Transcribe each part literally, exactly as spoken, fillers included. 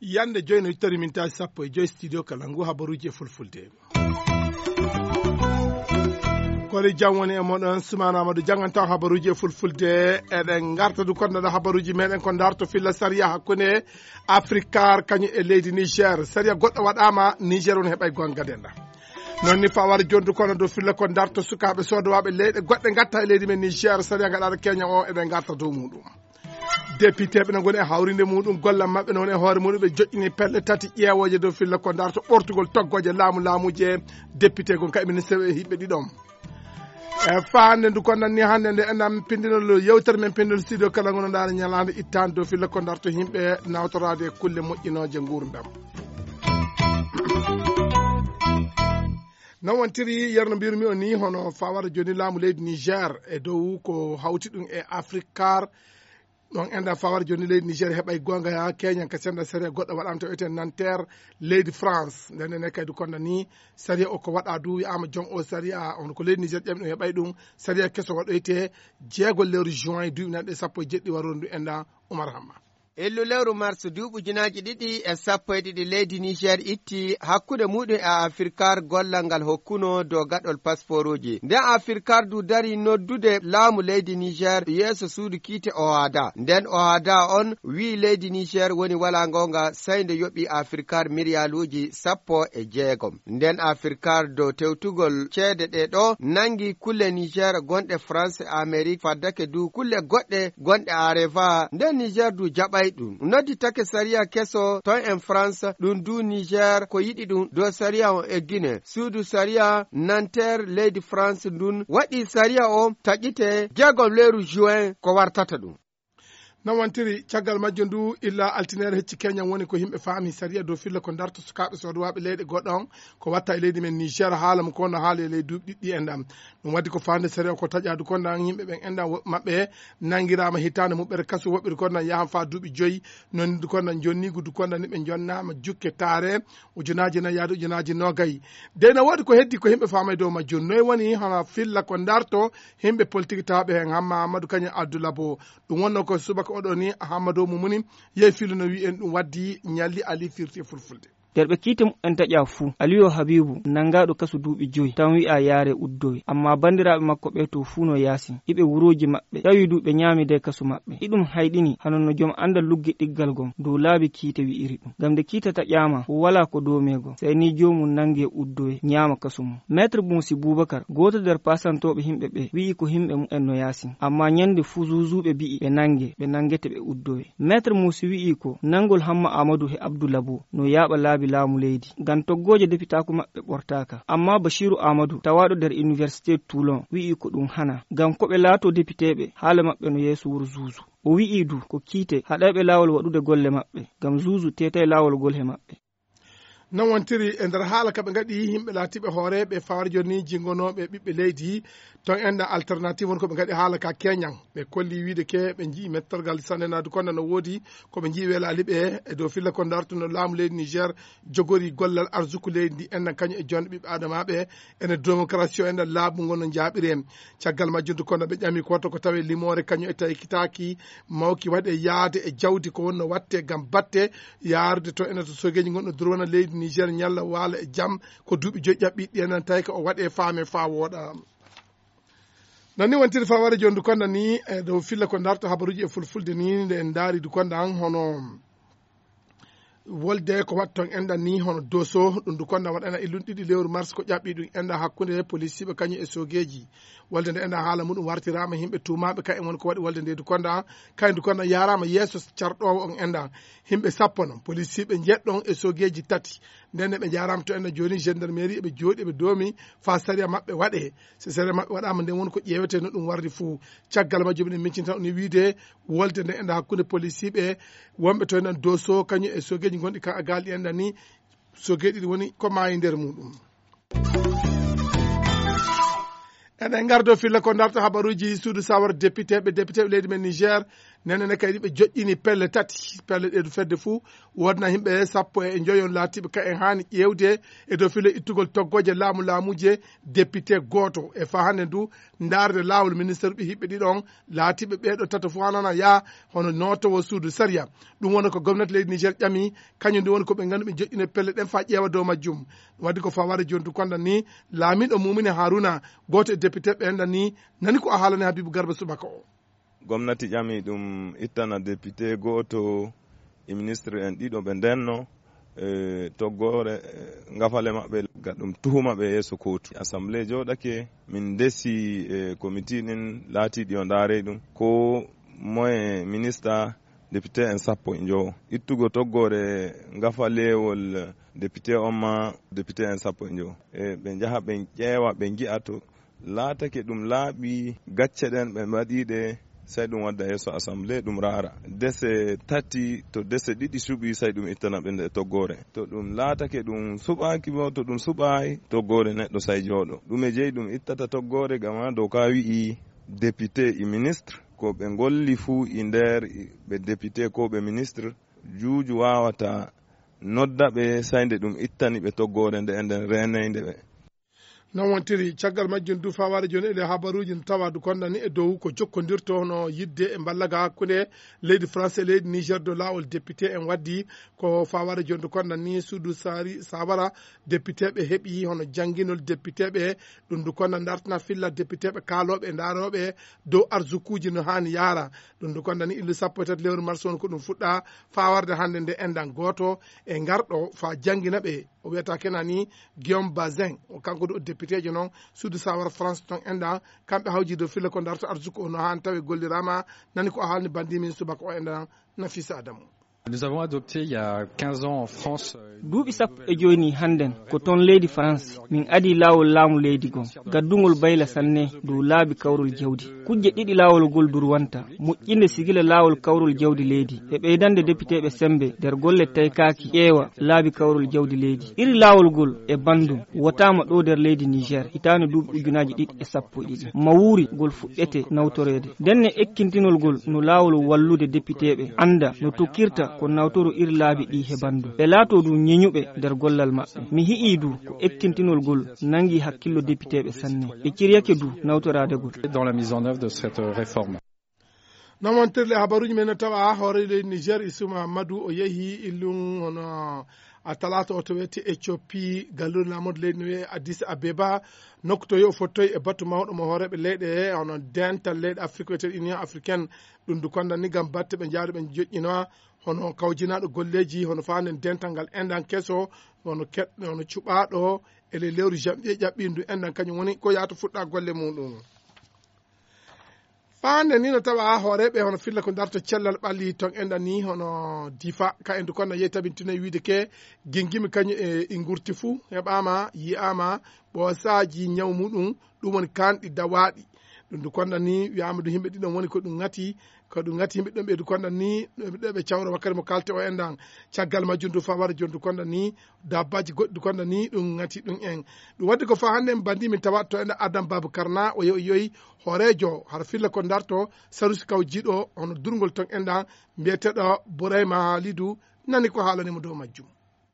Yande joyi no ittori min taji sappo e joyi studio kala ngu habaruji e fulfulde. Kori jam woni e moɗon, Sumana Amadou janganta habaruji e fulfulde. Eɗen garta du konnoɗo habaruji meɗen ko darto filla sariya hakkunde Afrikar kañum e leydi Niger. Sariya goɗɗo waɗama, Niger woni heɓay gonga denda. Noon ni fawar jondu kono dow filla ko darto sukaɓe sodowaɓe leyɗe goɗɗe gatta e leydi men Niger. Sariya gaɗaɗo Kenya o, eɗen garta dow muɗum. Député ɓe no ngoni e hawrinde muɗum gollal maɓɓe no woni e hoore muɗum ɓe joƴƴini pelle tati ƴeewoje dow filla ko darto ɓortugol toggoje laamu laamuje. Député gon kay ministre e hiɓɓe ɗiɗon. E faande ndu ko nanni hannde nde enɗam pindinol yewtere men pindinol studio kala ngono ndaara ñalaande ittaande dow filla ko darto yimɓe nawtoraade e kulle moƴƴinooje nguurndam. Non wontiri yerno mbirmi o ni hono fawara joni laamu leydi Niger e dow ko hawti ɗum e Afrikar. Ɗon enda fawar joni leydi Niger heɓay gonga ya Kenya ka senda sariya goɗɗo waɗama to eten Nanterre leydi France. Nden ene kadi konda ni sariya o ko waɗa du wi'ama jon o sariya on ko leydi Niger ƴami ɗum heɓay ɗum sariya keso waɗoyte jeego lewru juin duuɓi nanɗe sappo e jeɗɗi warondu enda Oumar Hamma. Ellu lewru mars duuɓi ujunaaji ɗiɗi e sappo e ɗiɗi leydi Niger itti hakkunde muɗum e Afrikar gollal ngal hokkuno dow gaɗol pasporuji. Nden Afrikar du dari noddude laamu leydi Niger yeeso suudu kiite Ohada. Nden Ohada on wi'i leydi Niger woni wala ngonga sai nde yoɓi Afrikar miriyaluuji sappo e jeegom. Nden Afrikar dow tewtugol ceede ɗe ɗo nangi kulle Niger gonɗe France, Amérique, faddake du kulle goɗɗe gonɗe Areva. Nden Niger du jaɓay ɗum. Nodditake sariya keso ton en France, ɗum du Niger ko yiɗi ɗum dow sariya on e Guinée. Suudu sariya Nanterre leydi France ndun waɗi sariya o taƴite jeegom lewru juin ko wartata ɗum. Non wontiri caggal majjo ndu illa altinaire hecci Kenya woni ko yimɓe faami sariya dow filla ko darto sukaaɓe soodowaɓe leyɗe goɗɗo on ko watta e leydi men Niger haala mo ko no haali e ley duuɓi ɗiɗɗi en ɗam. Ɗum waddi ko faande sariya ko taƴaadu ko ndan yimɓe ɓen enɗam woɓɓe maɓɓe nangirama hitaande muɓɓere kasu woɓɓe du ko ndan yahan fa duuɓi joyi. Non du ko ndan jonnigu du ko ndan ni ɓe jonnama jukke taare ujunaaji nayi yaade ujunaaji nogay. Dey no woodi ko heddi ko yimɓe faamay dow majjum noy woni hono filla ko darto yimɓe politique tawɓe hen Hamma Amadou Kañum Abdoulabo. Ɗum wonno ko subaka oɗo ni Ahamadou Mumuni yehi filu no wi'en ɗum waddi ñalli Ali firti e fulfulde. Nder ɓe kiite mumen taƴaa fuu, Aliyu Habiibu nanngaaɗo kasu duuɓi joyi, tan wi'aa yaaree uddowe. Ammaa banndiraaɓe makko ɓee to fuu no yaasin, iɓe wurooji maɓɓe, tawi du ɓe ñaamidee kasu maɓɓe. Iɗum hayɗini, hano no jom anndal luggiɗiggal gom dow laabi kiite wi'iri ɗum. Ngam nde kiite taƴaama, walaa ko doomee gom, sey ni joomum nanngee uddowe, ñaama kasu mum. Maître Muusi Buubakar, gooto nder paasantooɓe yimɓe ɓee, wi'i ko yimɓe mumen no yaasin. Ammaa ñannde fuu zuuzuuɓe bi'i ɓe nanngee, ɓe nanngete ɓe uddowe. Maître Muusi wi'i ko nanngol Hamma Aamadu e Abdu Labo no yaaɓa laabi laamu leydi, ngam toggooje depitaaku maɓɓe ɓortaaka. Ammaa Bashiiru Aamadu, tawaaɗo nder Iniwersite Toulon, wi'i ko ɗum hanaa, ngam ko ɓe laatoo depiteeɓe, haala maɓɓe no yeeso wuro zuuzu. O wi'i du ko kiite haɗayɓe laawol waɗude golle maɓɓe, ngam zuuzu teetay laawol ngol e maɓɓe. Non wontiri e nder haala ka ɓe ngaɗi yimɓe laatiiɓe hooreeɓe fawarjo ni jingonooɓe ɓiɓɓe leydi ton enɗan alternative woni ko ɓe ngaɗi haala ka keñan. Ɓe kolli wiide ke ɓe njii mettorgal sanne naadu konda no woodi ko ɓe njii weelaali ɓe e dow filla ko dartuno laamu leydi Niger jogori gollal arsuku leydi ndi enɗan kañum e jonde ɓiɓɓe adamaɓe ene démocratie o enɗan laabu ngon no jaaɓiri en. Caggal majjum du konda ɓe ƴami ko watta ko tawe limoore kañum e taykitaaki mawki waɗe yaade e jawdi ko wonno watte ngam batte yaarude to ene to sogeeji ngonɗo durwana leydi Niger ñalla waala e jam ko duuɓi joyi ƴaɓɓiɗi ɗi enen tawi ko o waɗe faame faa wooɗa. Non ni wontiri faware joni du konda ni e dow filla ko darta habaruji e fulfulde ni nde en daari du konda an hono wolde ko watton enɗan ni hono doso ɗum du konda waɗana e lun ɗiɗi lewru mars ko ƴaɓɓi ɗum enɗan hakkunde polisiɓe kañum e sogeeji. Wolde nde enɗan haala muɗum wartirama himɓe tuumaɓe ka en woni ko waɗi wolde nde du konda kañum du konda yarama yeeso carɗowo on enɗan himɓe sappo non polisiɓe jeɗɗon e sogeeji tati. Nden ne ɓe jarama to enɗan joni gendarmerie eɓe jooɗi eɓe doomi fa sariya maɓɓe waɗe. So sariya maɓɓe waɗama nden woni ko ƴeewete no ɗum wardi fuu. Caggal majjum eɗen miccita on e wiide wolde nde enɗan hakkunde polisiɓe wonɓe to enɗan doso kañum e sogeeji gonɗi ka agal ɗi enɗan ni sogeeji ɗi woni ko maayi nder muɗum. Eɗen ngardo filla ko darta habaruji suudu sawar député ɓe député ɓe leydi men Niger. Nene ne kadi ɓe joƴƴini pelle tati, pelle ɗe du fedde fuu, woodna yimɓe sappo e njoyon laatiiɓe ka en haani ƴeewde e dow filo ittugol toggooje laamu laamuuje député gooto. E faa hannde du ndaarde laawol ministre ɓe hiɓɓe ɗiɗon laatiiɓe ɓeeɗo tato fuu hanana yaa hono nootowo suudu sariya. Ɗum woni ko gomnati leydi Niger ƴami, kañum ndu woni ko ɓe nganndu ɓe joƴƴine pelle ɗen faa ƴeewa dow majjum. Ɗum waɗi ko faa wara jooni du konda ni laamiiɗo Mumine Haruna, gooto e député ɓe enɗan ni, nani ko a haalani Habibu Garba subaka o. Gomnati ƴami ɗum ittana député gooto e ministre en ɗiɗo ɓe ndenno, e, toggoore, e, ngafale maɓɓe, ga ɗum tuhuma ɓe yeeso kootu. Assemblée jooɗake, min ndesi, e, comité ɗin laatiiɗi o ndaarey ɗum. Ko moye minista député en sappo e njowo. Ittugo toggoore ngafaleewol député on ma député en sappo e njowo. E, ɓe njaha ɓe ƴeewa, ɓe ngi'a to laatake ɗum laaɓi gacce ɗen ɓe mbaɗiiɗe, sey ɗum wadda yeeso assemblée, ɗum raara. Dese tati, to dese ɗiɗi suɓii, sey ɗum ittana ɓe nde toggoore. To ɗum laatake ɗum suɓaaki bo, to ɗum suɓaay, toggoore neɗɗo sey jooɗo. Ɗume jeyi ɗum ittata toggoore, gama doka wi'i député e ministre, ko ɓe ngolli fuu e nder ɓe député ko ɓe ministre, juuju waawata nodda ɓe, sey nde ɗum ittani ɓe toggoore nde e nden reeneynde ɓe. Non wontiri, caggal majjum du fawaade jooni e ɗe habaruuji no tawa du konda ni e dow ko jokkondirto hono yidde e mballaga hakkunde leydi France e leydi Niger dow laawol député en waddi ko fawaade jooni du konda ni suudu sari sawara député ɓe heɓi hono jannginol député ɓe ɗum du konda dartana filla député ɓe kaalooɓe e ndaarooɓe dow arsukuuji no haani yaara ɗum du konda ni illu sappo e tati lewru mars on ko ɗum fuɗɗa fawarde hannde nde enɗan gooto e ngarɗo fa janngina ɓe. O wiyata kena ni Guillaume Bazin, o kanko du o député jo noon suudu sawara France toon enɗan kamɓe hawji dow filla ko darta arsuku o no haani tawi gollirama nani ko o haalni bandi min subaka o enɗan Nafisa Adamu. Nous avons adopté il y a quinze ans en France, euh, une duuɓi sappo e jooni hannden ko toon leydi France min adi laawol laamu leydi gon gaddungol bayla sanne dow laabi kawrol jawdi. Kujje ɗiɗi laawol ngol durwanta, moƴƴinde sigila laawol kawrol jawdi leydi e ɓeydande depiteeɓe semmbe nder golle taykaaki ƴeewa laabi kawrol jawdi leydi. Iri laawol ngol e banndum wotaama ɗo nder leydi Niger hitaande duuɓi ujunaaji ɗiɗi e sappo e ɗiɗi. Mawuuri ngol fuɗɗete nawtoreede. Ndenne ekkintinol ngol no laawol wallude depiteeɓe annda no tokkirta ko nawtoro iri laabi ɗi he banndum. Ɓe laatoo du ñeñuɓe nder gollal maɓɓe. Mi hi'ii du ko ekkintinol ngol nanngi hakkillo depiteeɓe sanne. Ɓe ciryake du nawtoraade ngol. Dans la mise en œuvre de cette, euh, réforme. Noon wontirle habaruuji men no tawa hoore leydi Niger Issouma Amadou o yehi illum hono a talaata o to wiyete Ethiopie, galluure laamorde leydi no wiyee Addis Abeba, nokku to yo o fottoyi e batu mawɗo mo hooreeɓe leyɗe hono dental leyɗe Afrique wiyetee Union Africaine. Ɗum du konda ni ngam batte ɓe njahdu ɓe joƴƴinowa hono kawjinaaɗo golleeji hono faanden dental ngal enɗan keso hono keɗ-, hono cuɓaaɗo e ley lewru janvier ƴaɓɓiindu enɗan kañum woni ko yahata fuɗɗa golle muɗum. Faande ni no tawa hooreeɓe hono filla ko darta cellal ɓalli toon enɗan ni hono Difa ka en du konda yehi tabintino e wiide ke gingimi kañum e, e ngurti fuu heɓaama yi'aama ɓoosaaji ñaw muɗum ɗum woni kanɗi dawaaɗi. Ɗum du konda ni wiyaama du yimɓe ɗiɗon woni ko ɗum ŋati ko ɗum ŋati yimɓe ɗon ɓe du konda ni ɗo ɓe cawra wakkati mo kalte o enɗan. Caggal majjum du fawara joni du konda ni dabbaji goɗɗi du konda ni ɗum ŋati ɗum en. Ɗum waddi ko fa hannde en bandi min tawa to enɗan Adam Babacar na o yehi o yehi hooreejo hara filla ko darto sarusi kaw jiiɗo hono durngol ton enɗan mbiyeteɗo Bourayma Halidou nani ko haalani mo dow majjum.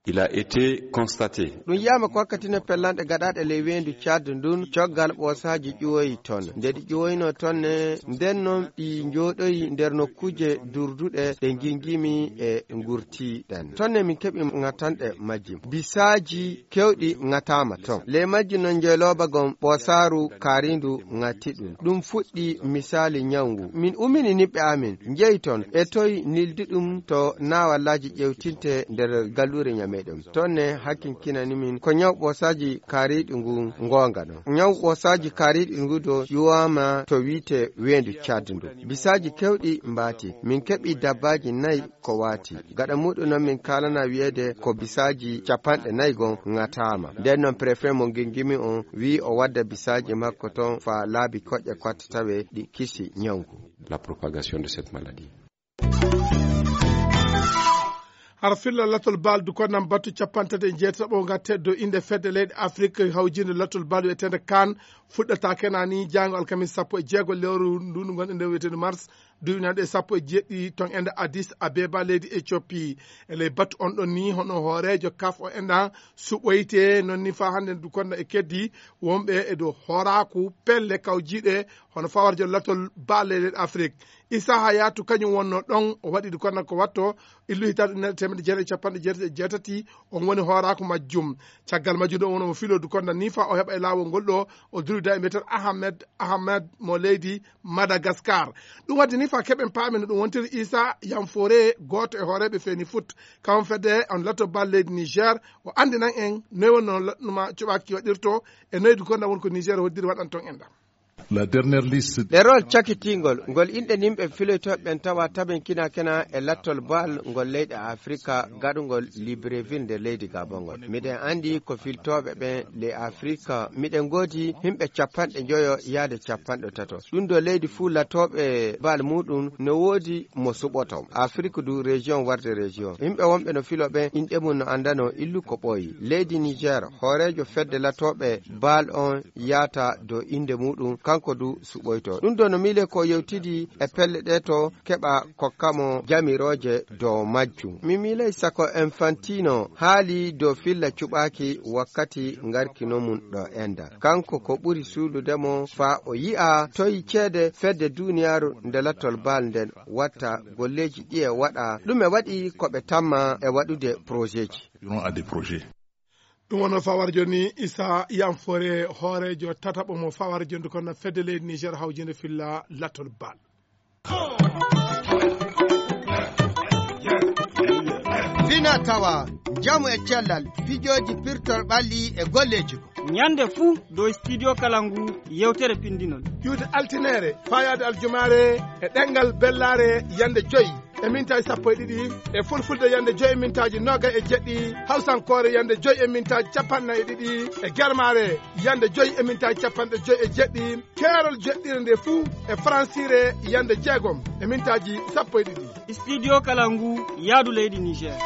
Il a été constaté. Ɗum yiyama ko wakkati no pellanɗe gaɗaɗe ley weendu Tchad ndun coggal ɓoosaaji ƴuwoyi ton. Nde ɗi ƴuwoyno ton ne, nden non ɗi njooɗoyi nder nokkuuje durduɗe ɗe ngingimi e ngurti ɗen. Ton ne min keɓi ŋatanɗe majji. Bisaaji kewɗi ŋataama ton. Ley majji non njeylooba gon ɓoosaaru kaarindu ŋati ɗum. Ɗum fuɗɗi misaali ñawngu. Min umini niɓɓe amin, njeyi ton, e toy nildi ɗum to naawallaaji ƴewtinte nder galluure ñameɗum. Ton ne hakkinkinani min ko ñaw ɓoosaaji kaariiɗi ngun ngoonga ɗon. Ñaw ɓoosaaji kaariiɗi ngu do ƴuwaama to wiite weendu Tchad ndu. Bisaaji kewɗi mbaati. Min keɓi dabbaaji nayi ko waati. Gaɗa muɗum non min kaalana wiyeede ko bisaaji capanɗe nayi gon ŋataama. Nden non préfet mo Ngingimi on wi'i o wadda bisaaji makko ton faa laabi koƴƴe kotta tawe ɗi kisi ñawngu. La propagation de cette maladie. Hara filla latol baaldu ko nan batu capanɗe tati e jeetaɓo ngatte dow innde fedde leyɗe Afrik hawjinde latol baaldu wiyeteende kan fuɗɗata kena ni jaango alkamis sappo e jeego lewru ndu ndu ngonɗen nde wiyeteende mars Duwinanɗe sappo e jeeɗiɗi ton enda Addis Abeba leydi Ethiopie. E ley batu on ɗon ni, hono hooreejo kaf o enɗan suɓoyte, non ni faa hannde ndu konda e keddi wonɓe e dow hooraaku pelle kawjiiɗe hono fawarjo latol baalle leyɗe Afrik. Issa Hayatou kañum wonno ɗon, o waɗi ndu konda ko watto illu hitaande ujunere teemedde jeetati e capanɗe jeetati e jeetati, on woni hooraaku majjum. Caggal majjum ɗo won omo filo ndu konda ni faa o heɓa e laawol ngol ɗo, o duwida e mbiyeteeɗo Ahmed, Ahmed mo leydi Madagascar. Ɗum waɗi ni faa keɓen paamen no ɗum wontiri. Issa Yanfore, gooto e hooreeɓe Feni Foot, kawon fedde on lato bal leydi Niger, o anndinan en noy wonno laɗnuma cuɓaaki waɗirto e noy du konda won ko Niger hoddiri waɗan ton enɗan. La dernière liste. Ɗerol cakitingol ngol inɗe nimɓe filoytooɓe ɓen tawa taben kina kena e lattol bal ngol leyɗe Afrika gaɗungol Libreville nder leydi Gabon ngol. Miɗen anndi ko filtooɓe ɓen ley Afrika, miɗen ngoodi yimɓe capanɗe njoyo yaade capanɗe tato. Ɗum ɗo leydi fuu latooɓe bal muɗum no woodi mo suɓoto. Afrik du région warde région. Yimɓe wonɓe no filo ɓen inɗe mum no anndano illu ko ɓooyi. Leydi Niger, hooreejo fedde latooɓe bal on yaata dow innde muɗum, kanko du suɓoyto. Ɗum ɗo no miile ko yewtidi e pelle ɗe to keɓa kokkamo jamirooje dow majjum. Mi miilay sako Infantino haali dow filla cuɓaaki wakkati ngarkino mum ɗo enda. Kanko ko ɓuri suuɗude mo faa o yi'a toy ceede fedde duuniyaaru nde lattol bal nden watta golleeji ɗi e waɗa. Ɗum e waɗi ko ɓe tamma e waɗude projetji. Durant à des projets. Ɗum wonno fawar jooni Issa Yanfore, hooreejo tataɓo mo fawar jooni kono fedde leydi Niger hawjinde filla lattol bal. Fina tawa, njamu e cellal, pijooji pirtol ɓalli e golleeji ko. Ñande fuu dow Studio Kalangu yewtere pinndinol. Ƴuwde altineere, faayaade aljumaare e ɗemngal bellaare yande joy e mintaaji sappo e ɗiɗi, e fulfulde yande joy e mintaaji noogay e jeɗɗi, hawsankoore yande joy e mintaaji capanɗe nayi e ɗiɗi, e germaare yande joy e mintaaji capanɗe joy e jeɗɗi, keerol joɗɗire nde fuu e faransiire yande jeegom e mintaaji sappo e ɗiɗi. Studio Kalangu, yaadu leydi Niger.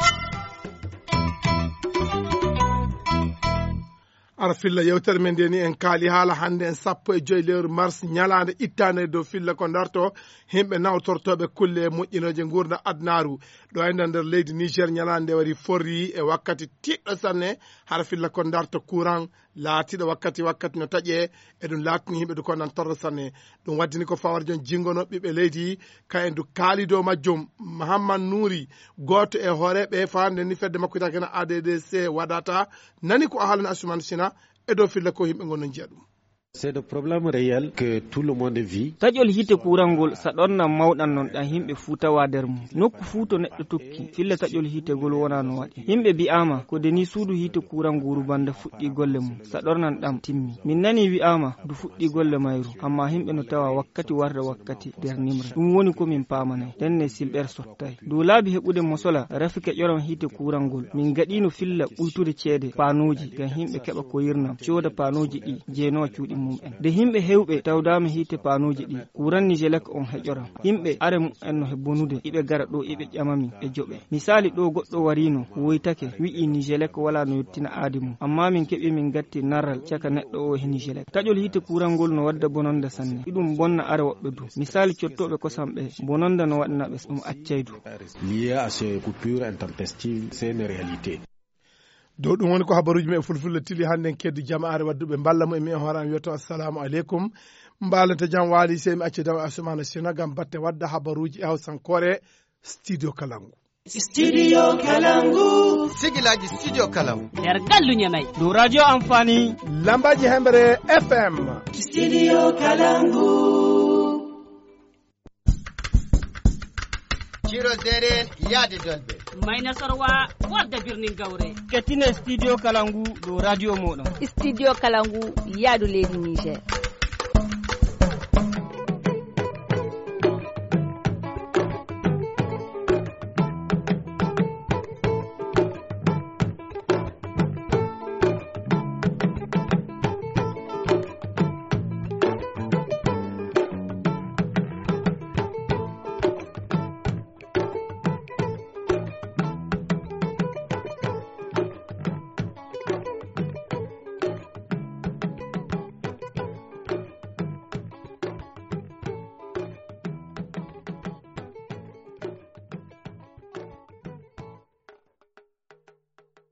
Ara filla yewtere men nde ni en kaali haala hannde en sappo e joy lewru mars, ñalaande ittaande dow filla ko darto yimɓe nawtortooɓe kulle moƴƴinooje nguurndam adunaaru. Ɗo e nder leydi Niger ñalaande nde wari forri e wakkati tiiɗɗo sanne, hara filla ko darto courant laatiiɗo wakkati wakkati no taƴe, e ɗum laatini yimɓe du ko nan torro sanne. Ɗum waddini ko fawar jon jingono ɓiɓɓe leydi, ka en du kaali dow majjum. Mahamman Nuuri, gooto e hooreeɓe faande ni fedde makko wiyetee kena A D D C wadata, nani ko a haalani Asuman Sina e dow filla ko yimɓe ngon no njiya ɗum. C'est des problèmes réels que tout le monde vit. Taƴol hiite kuurangol saɗornan mawɗan non ɗan yimɓe fuu tawa nder mum. Nokku fuu to neɗɗo tokki, filla taƴol hiite ngol wona no waɗi. Yimɓe bi'aama ko de ni suudu hiite kuuranguru banda fuɗɗi golle mum, saɗornan ɗam timmi. Min nani wi'aama ndu fuɗɗi golle mayru, amma yimɓe no tawa wakkati warda wakkati nder nimre. Ɗum woni ko min paamanay. Ɗen ne silɓer sottay. Dow laabi heɓude mosola rafi keƴoram hiite kuurangol, min gaɗino filla ɓuytude ceede paanooji ngam yimɓe keɓa koyirnam, cooda paanooji ɗi jeenoo cuuɗi mum en. Nde yimɓe hewɓe tawdaama hiite paanooji ɗi, kuuran Nijelek on heƴoram. Yimɓe are mum en no he bonude, iɓe gara ɗo iɓe ƴama min, ɓe joɓe. Misaali ɗo goɗɗo warino, woytake, wi'i Nijelek wala no yottina aadi mum. Amma min keɓi min gatti naral caka neɗɗo o he Nijelek. Taƴol hiite kuurangol no wadda bononda sanne. Iɗum bonna are woɓɓe du. Misaali cottooɓe kosam ɓe, bononda no waɗana ɓe ɗum accay du. Lié à ces coupures intempestives, c'est une réalité. Dow ɗum woni ko habaruuji men e fulfulde tili hannde en keddu jamaare wadduɓe mballa mo e mi en hoore am wiyata assalamu aleykum. Mbaalante jam waali sey mi acci daw Asumana Sina ngam batte wadda habaruuji e hawsankoore Studio Kalangu. Studio Kalangu. Sigilaji Studio Kalangu. Nder gallu Ñamay. Dow radio Amfani. Lambaji Hemre F M. Studio Kalangu. Ciro Deren yaade Dolbe. Mayna Sorwa warda birnin Gawre. Kettine Studio Kalangu dow radio moɗon. Studio Kalangu yaadu leydi Niger.